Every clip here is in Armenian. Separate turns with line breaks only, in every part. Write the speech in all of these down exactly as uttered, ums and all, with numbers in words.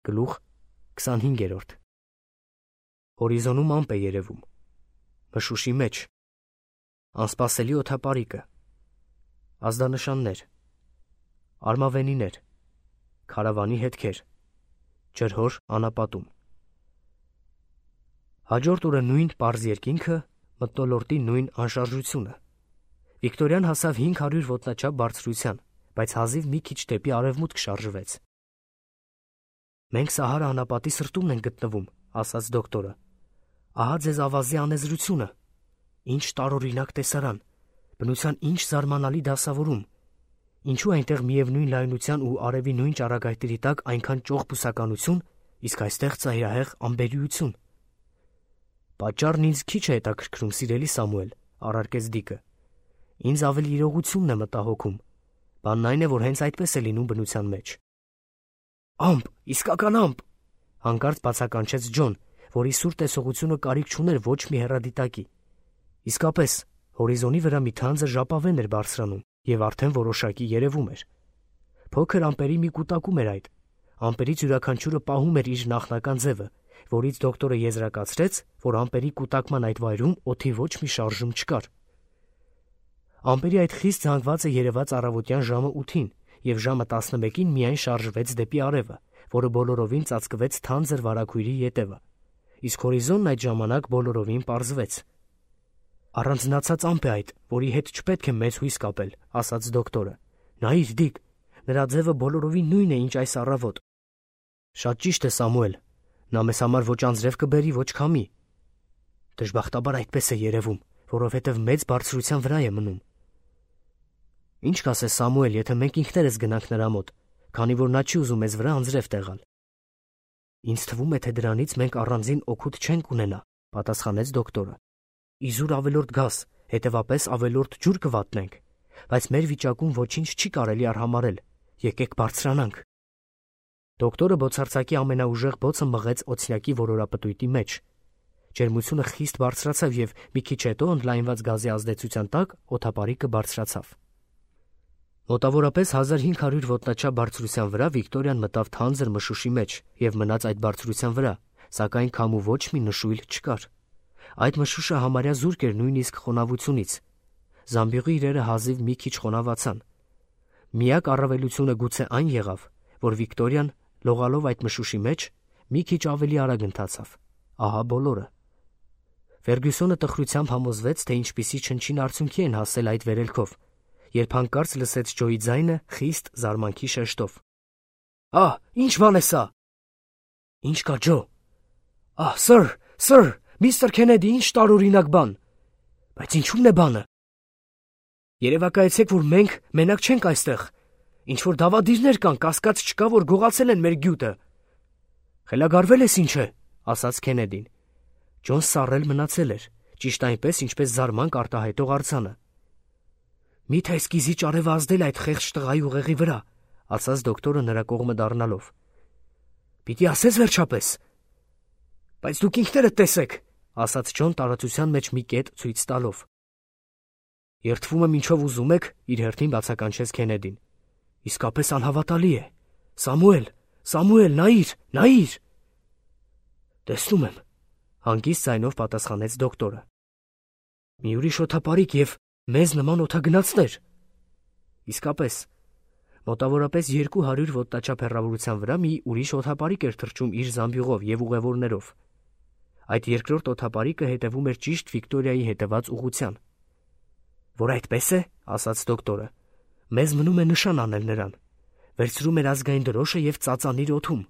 Գլուխ քսանհինգերորդ Հորիզոնում ամպ է երևում, մշուշի մեջ, անսպասելի օդապարիկը, ազդանշաններ, արմավենիներ, քարավանի հետքեր, ջրհոր անապատում։ Հաջորդ օրը նույն պարզ երկինքը, մթնոլորտի նույն անշարժությունը։ Վիկտորիան հասավ հինգ հարյուր ոտնաչափ բարձրության, բայց հազիվ մի քիչ դեպի արևմուտք շարժվեց։ Մենք Սահարա անապատի սրտումն ենք գտնվում, ասաց դոկտորը։ Ահա ձեզ ավազի անեզրությունը, ինչ տարօրինակ տեսարան, բնության ինչ զարմանալի դասավորում, ինչու այնտեղ միևնույն լայնության ու արևի նույն ճառագայթների տակ այնքան ճոխ բուսականություն, իսկ այստեղ ծայրահեղ ամբերիություն։ Պատճառն ինձ քիչ է հետաքրքրում, սիրելի Սամուել, առարկեց Դիկը։ Ինձ ավելի իրողությունն է մտահոգում։ Բանն այն է, որ հենց այդպես է լինում բնության մեջ։ Ամպ, իսկական ամպ, հանկարծ բացականչեց Ջոն, որի սուր տեսողությունը կարիք չուներ ոչ մի հեռադիտակի։ Իսկապես, հորիզոնի վրա մի թանձր ժապավեն էր բարձրանում և արդեն որոշակի երևում էր։ Փոքր ամպերի մի կուտակում էր այդ։ Ամպերից յուրաքանչյուրը պահում էր իր նախնական ձևը, որից դոկտորը եզրակացրեց, որ ամպերի կուտակման այդ վայրում օդի ոչ մի շարժում չկար։ Ամպերի այդ խիստ զանգվածը երևաց առավոտյան ժամը ութին, և ժամը տասնմեկին միայն շարժվեց դեպի արևը, որը բոլորովին ծածկվեց թանձր վարագույրի ետևը, իսկ հորիզոնն այդ ժամանակ բոլորովին պարզվեց։ Առանձնացած ամպ է այդ, որի հետ չպետք է մեծ հույս կապել, ասաց դոկտորը։ Նայիր, Դիկ, նրա ձևը բոլորովին նույնն է, ինչ այս առավոտ։ Շատ ճիշտ է, Սամուել, նա մեզ համար ոչ անձրև կբերի, ոչ քամի։ Դժբախտաբար այդպես է երևում, որովհետև մեծ բարձրության վրա է մնում։ Ինչ կասես, Սամուել, եթե մենք ինքներս գնանք նրա մոտ, քանի որ նա չի ուզում մեզ վրա անձրև տեղալ։ Ինձ թվում է, թե դրանից մենք առանձին օգուտ չենք ունենա, պատասխանեց դոկտորը։ Իզուր ավելորդ գազ, հետևապես ավելորդ ջուր կվատնենք, բայց մեր վիճակում ոչինչ չի կարելի արհամարել։ Եկեք բարձրանանք։ Դոկտորը բոցարցակի ամենաուժեղ բոցը մղեց օձյակի որորապտույտի մեջ։ Ջերմությունը խիստ բարձրացավ և մի քիչ հետո ընդլայնված գազի ազդեցության տակ օդապարիկը բարձրացավ։ Մոտավորապես հազար հինգ հարյուր ոտնաչափ բարձրության վրա Վիկտորիան մտավ թանձր մշուշի մեջ և մնաց այդ բարձրության վրա, սակայն քամու ոչ մի նշույլ չկար։ Այդ մշուշը համարյա զուրկ էր նույնիսկ խոնավությունից։ Զամբյուղի իրերը հազիվ մի քիչ խոնավացան։ Միակ առավելությունը գուցե այն եղավ, որ Վիկտորիան, լողալով այդ մշուշի մեջ, մի քիչ ավելի արագ ընթացավ։ Ահա բոլորը։ Ֆերգյուսոնը տխրությամբ համոզվեց, թե ինչպիսի չնչին արդյունքի են հասել այդ վերելքով, երբ հանկարծ լսեց Ջոյի ձայնը խիստ զարմանքի շեշտով։ Ահ, ինչ բան է սա։ Ինչ կա, Ջո։ Ահ, սըր, սըր, միստր Քենեդի, ինչ տարօրինակ բան։ Բայց ինչու՞մն է բանը։ Երևակայեցեք, որ մենք մենակ չենք այստեղ։ Ինչ-որ դավադիրներ կան, կասկած չկա, որ գողացել են մեր գյուտը։ Խելագարվել ես ինչ է, ասաց Քենեդին։ Ջոն սառել մնացել էր, ճիշտ այնպես, ինչպես զարմանք արտահայտող արձանը։ Մի՞թե էսկիզի արևը ազդել այդ խեղճ տղայի ուղեղի վրա, ասաց դոկտորը նրա կողմը դառնալով։ Պիտի ասես վերջապես։ Բայց դուք ինքներդ տեսեք, ասաց Ջոն տարածության մեջ մի կետ ցույց տալով։ Երդվում եմ ինչով ուզում եք, իր հերթին բացականչեց Քենեդին։ Իսկապես անհավատալի է։ Սամուել, Սամուել, նայիր, նայիր։ Տեսնում եմ, հանգիստ ձայնով պատասխանեց դոկտորը։ Մի ուրիշ օդապարիկ և մեզ նման օդագնացներ։ Իսկապես, մոտավորապես երկու հարյուր ոտնաչափ հեռավորության վրա մի ուրիշ օդապարիկ էր թռչում իր զամբյուղով և ուղևորներով։ Այդ երկրորդ օդապարիկը հետևում էր ճիշտ Վիկտորիայի հետևած ուղղության։ Որ այդպես է, ասաց դոկտորը, մեզ մնում է նշան անել նրան։ Վերցրում էր ազգային դրոշը և ծածանիր օդում։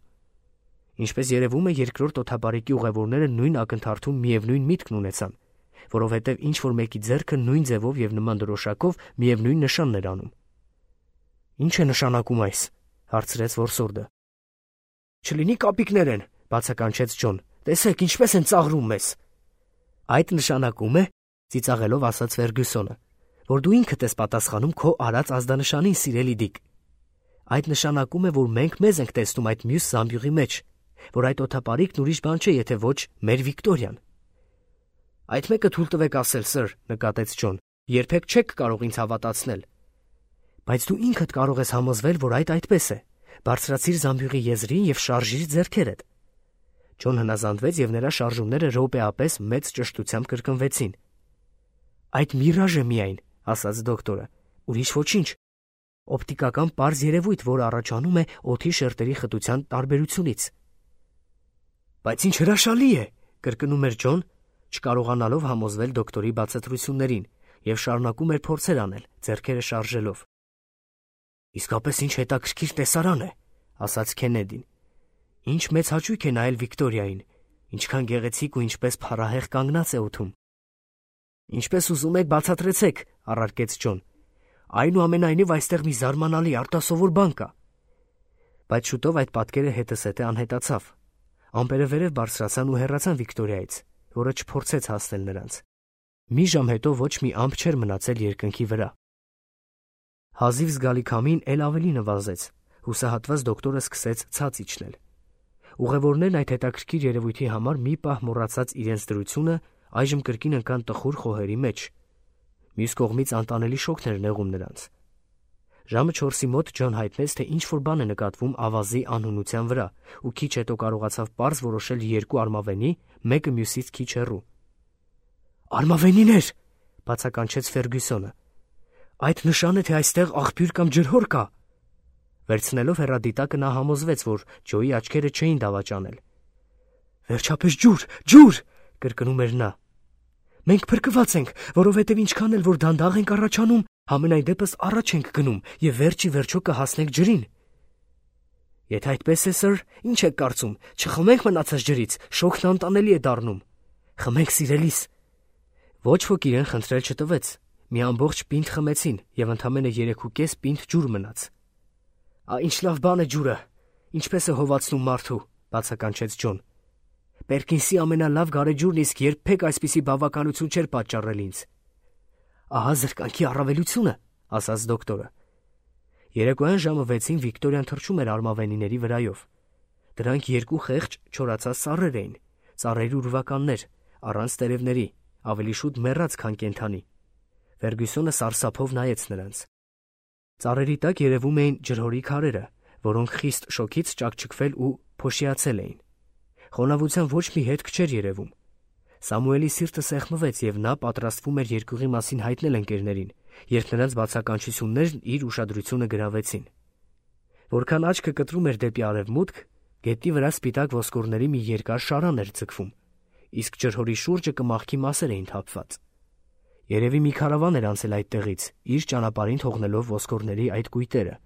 Ինչպես երևում է, երկրորդ օդապարիկի ուղևորները նույն ակնթարթում միևնույն միտքն ունեցան, որովհետև ինչ-որ մեկի ձեռքը նույն ձևով և նման դրոշակով միևնույն նշանն էր անում։ Ինչ է նշանակում այս, հարցրեց որսորդը։ Չլինի կապիկներ են, բացականչեց Ջոն, տեսեք ինչպես են ծաղրում մեզ։ Այդ նշանակում է, ծիծաղելով ասաց Ֆերգյուսոնը, որ դու ինքդ ես պատասխանում քո արած ազդանշանին, սիրելի Դիկ։ Այդ նշանակում է, որ մենք մեզ ենք տեսնում այդ մյուս զամբյուղի մեջ, որ այդ օդապարիկն ուրիշ բան չէ, եթե ոչ մեր Վիկտորիան։ Այդ մեկը թույլ տվեք ասել, սըր, նկատեց Ջոն, երբեք չեք կարող ինձ հավատացնել։ Բայց դու ինքդ կարող ես համոզվել, որ այդ այդպես է, Բարձրացիր զամբյուղի եզրին եւ շարժիր ձեռքերդ։ Ջոն հնազանդվեց եւ նրա շարժումները րոպեապես մեծ ճշտությամբ կրկնվեցին։ Այդ միրաժ է միայն, ասաց դոկտորը, ուրիշ ոչինչ։ Օպտիկական պարզ երևույթ, որը առաջանում է օդի շերտերի խտության տարբերությունից։ Բայց ինչ հրաշալի է, կրկնում էր Ջոն, չկարողանալով համոզվել դոկտորի բացատրություններին, եւ շարունակում էր փորձեր անել, ձեռքերը շարժելով։ Իսկապես ինչ հետաքրքիր տեսարան է, ասաց Քենեդին։ Ինչ մեծ հաճույք է նայել Վիկտորիային, ինչքան գեղեցիկ ու ինչպես փառահեղ կանգնած է օդում։ Ինչպես ուզում եք բացատրեցեք, առարկեց Ջոն։ Այնուամենայնիվ այստեղ մի զարմանալի արտասովոր բան կա։ Բայց շուտով այդ պատկերը հետզհետե անհետացավ։ Ամպերը վերև բարձրացան ու հեռացան Վիկտորիայից, որը չփորձեց հասնել նրանց։ Մի ժամ հետո ոչ մի ամպ չէր մնացել երկնքի վրա։ Հազիվ զգալի քամին էլ ավելի նվազեց, հուսահատված դոկտորը սկսեց ցած իջնել։ Ուղևորներն այդ հետաքրքիր երևույթի համար մի պահ մոռացած իրենց դրությունը, այժմ կրկին ընկան տխուր խոհերի մեջ։ Մյուս կողմից անտանելի շոկն էր նեղում նրանց։ Ժամը չորսի մոտ Ջոն հայտնեց, թե ինչ-որ բան է նկատվում ավազի անհունության վրա, ու քիչ հետո կարողացավ պարզ որոշել երկու արմավենի, մեկը մյուսից քիչ հեռու։ Արմավենիներ, բացականչեց Ֆերգյուսոնը։ Այդ նշան է, թե այստեղ աղբյուր կամ ջրհոր կա։ Վերցնելով հեռադիտակը նա համոզվեց, որ Ջոյի աչքերը չէին դավաճանել։ Վերջապես ջուր, ջուր, կրկնում էր նա։ Մենք փրկված ենք, որովհետև ինչքան էլ որ դանդաղ ենք առաջանում, համենայն դեպս առաջ ենք գնում եւ վերջի վերջո կհասնենք ջրին։ Եթե այդպես է, սըր, ինչ եք կարծում, չխմենք մնացած ջրից, շոկն անտանելի է դառնում։ Խմենք, սիրելիս։ Ոչ ոք իրեն խնդրել չտվեց։ Մի ամբողջ պինդ խմեցին եւ ընդամենը երեքուկես պինդ ջուր մնաց։ Ա ինչ լավ բան է ջուրը, ինչպես է հովացնում մարդու, բացականչեց Ջոն։ Պերկինսի ամենալավ գարեջուրն իսկ երբեք այսպիսի բավականություն չէր պատճառել ինձ։ Ահա զրկանքի առավելությունը, ասաց դոկտորը։ Երեկոյան ժամը վեցին Վիկտորիան թռչում էր արմավենիների վրայով։ Դրանք երկու խեղճ չորացած ծառեր էին, ծառերի ուրվականներ, առանց տերևների, ավելի շուտ մեռած, քան կենդանի։ Ֆերգյուսոնը սարսափով նայեց նրանց։ Ծառերի տակ երևում էին ջրհորի քարերը, որոնք խիստ շոկից ճաքճքվել ու փոշիացել էին։ Խոնավության ոչ մի հետք չէր երևում։ Սամուելի սիրտը սեղմվեց եւ նա պատրաստվում էր երկյուղի մասին հայտնել ընկերներին, երբ նրանց բացականչություններն իր ուշադրությունը գրավեցին։ Որքան աչքը կտրում էր դեպի արևմուտք, գետնի վրա սպիտակ ոսկորների մի երկար շարան էր ձգվում, իսկ ջրհորի շուրջը կմախքի մասեր էին թափված։ Երևի մի քարավան էր անցել այդտեղից, իր ճանապարհին թողնելով ոսկորների այդ կույտերը։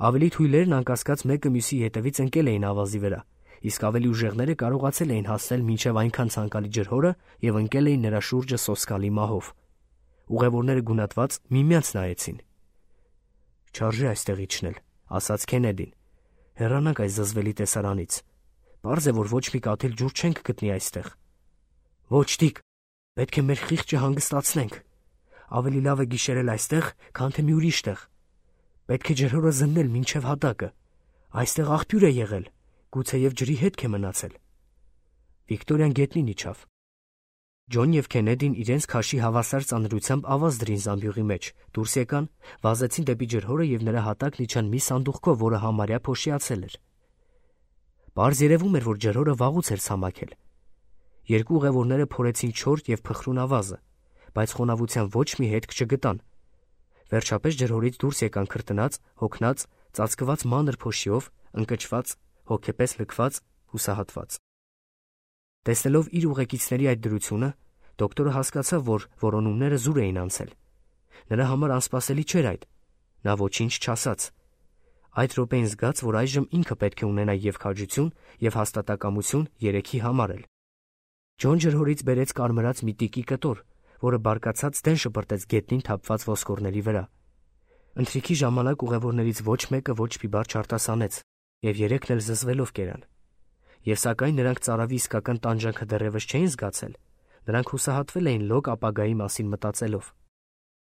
Ավելի թույլերն անկասկած մեկը մյուսի հետևից ընկել էին ավազի վրա, իսկ ավելի ուժեղները կարողացել էին հասնել մինչև այնքան ցանկալի ջրհորը եւ ընկել էին նրա շուրջը սոսկալի մահով։ Ուղևորները գունատված միմյանց նայեցին։ Չարժե այստեղ իջնել, ասաց Քենեդին։ Հեռանանք այս զզվելի տեսարանից։ Պարզ է, որ ոչ մի կաթիլ ջուր չենք գտնի այստեղ։ Ոչ տիկ, պետք է մեր խիղճը հանգստացնենք։ Ավելի լավ է գիշերել այստեղ, քան թե մի ուրիշ տեղ։ Պետք է ջրհորը զննել մինչև հատակը։ Այստեղ աղբյուր է եղել, գուցեև ջրի հետք է մնացել։ Վիկտորիան գետնին իջավ։ Ջոն եւ Քենեդին իրենց քաշի հավասար ծանրությամբ ավազ դրին զամբյուղի մեջ, դուրս եկան, վազեցին դեպի ջրհորը եւ նրա հատակն իջան մի սանդուղքով, որը համարյա փոշիացել էր։ Պարզ երևում էր, որ ջրհորը վաղուց էր ցամաքել։ Երկու ուղևորները փորեցին չոր եւ փխրուն ավազը, բայց խոնավության ոչ մի հետք չգտան։ Վերջապես ջրհորից դուրս եկան քրտնած, հոգնած, ծածկված մանր փոշիով, ընկճված, հոգեպես լքված, հուսահատված։ Տեսնելով իր ուղեկիցների այդ դրությունը, դոկտորը հասկացավ, որ որոնումները զուր էին անցել։ Նրա համար անսպասելի չէր այդ։ Նա ոչինչ չասաց։ Այդ րոպեին զգաց, որ այժմ ինքը պետք է ունենա եւ քաջություն, եւ հաստատակամություն երեքի համար էլ։ Ջոն ջրհորից բերեց կարմրած մի տիկի կտոր, որը բարկացած դեն շպրտեց գետնին թափված ոսկորների վրա։ Ընթրիքի ժամանակ ուղևորներից ոչ մեկը ոչ մի բառ չարտասանեց, եւ երեքն էլ զզվելով կերան։ Եվ սակայն նրանք ծարավի իսկական տանջանքը դեռևս չէին զգացել, նրանք հուսահատվել էին լոկ ապագայի մասին մտածելով։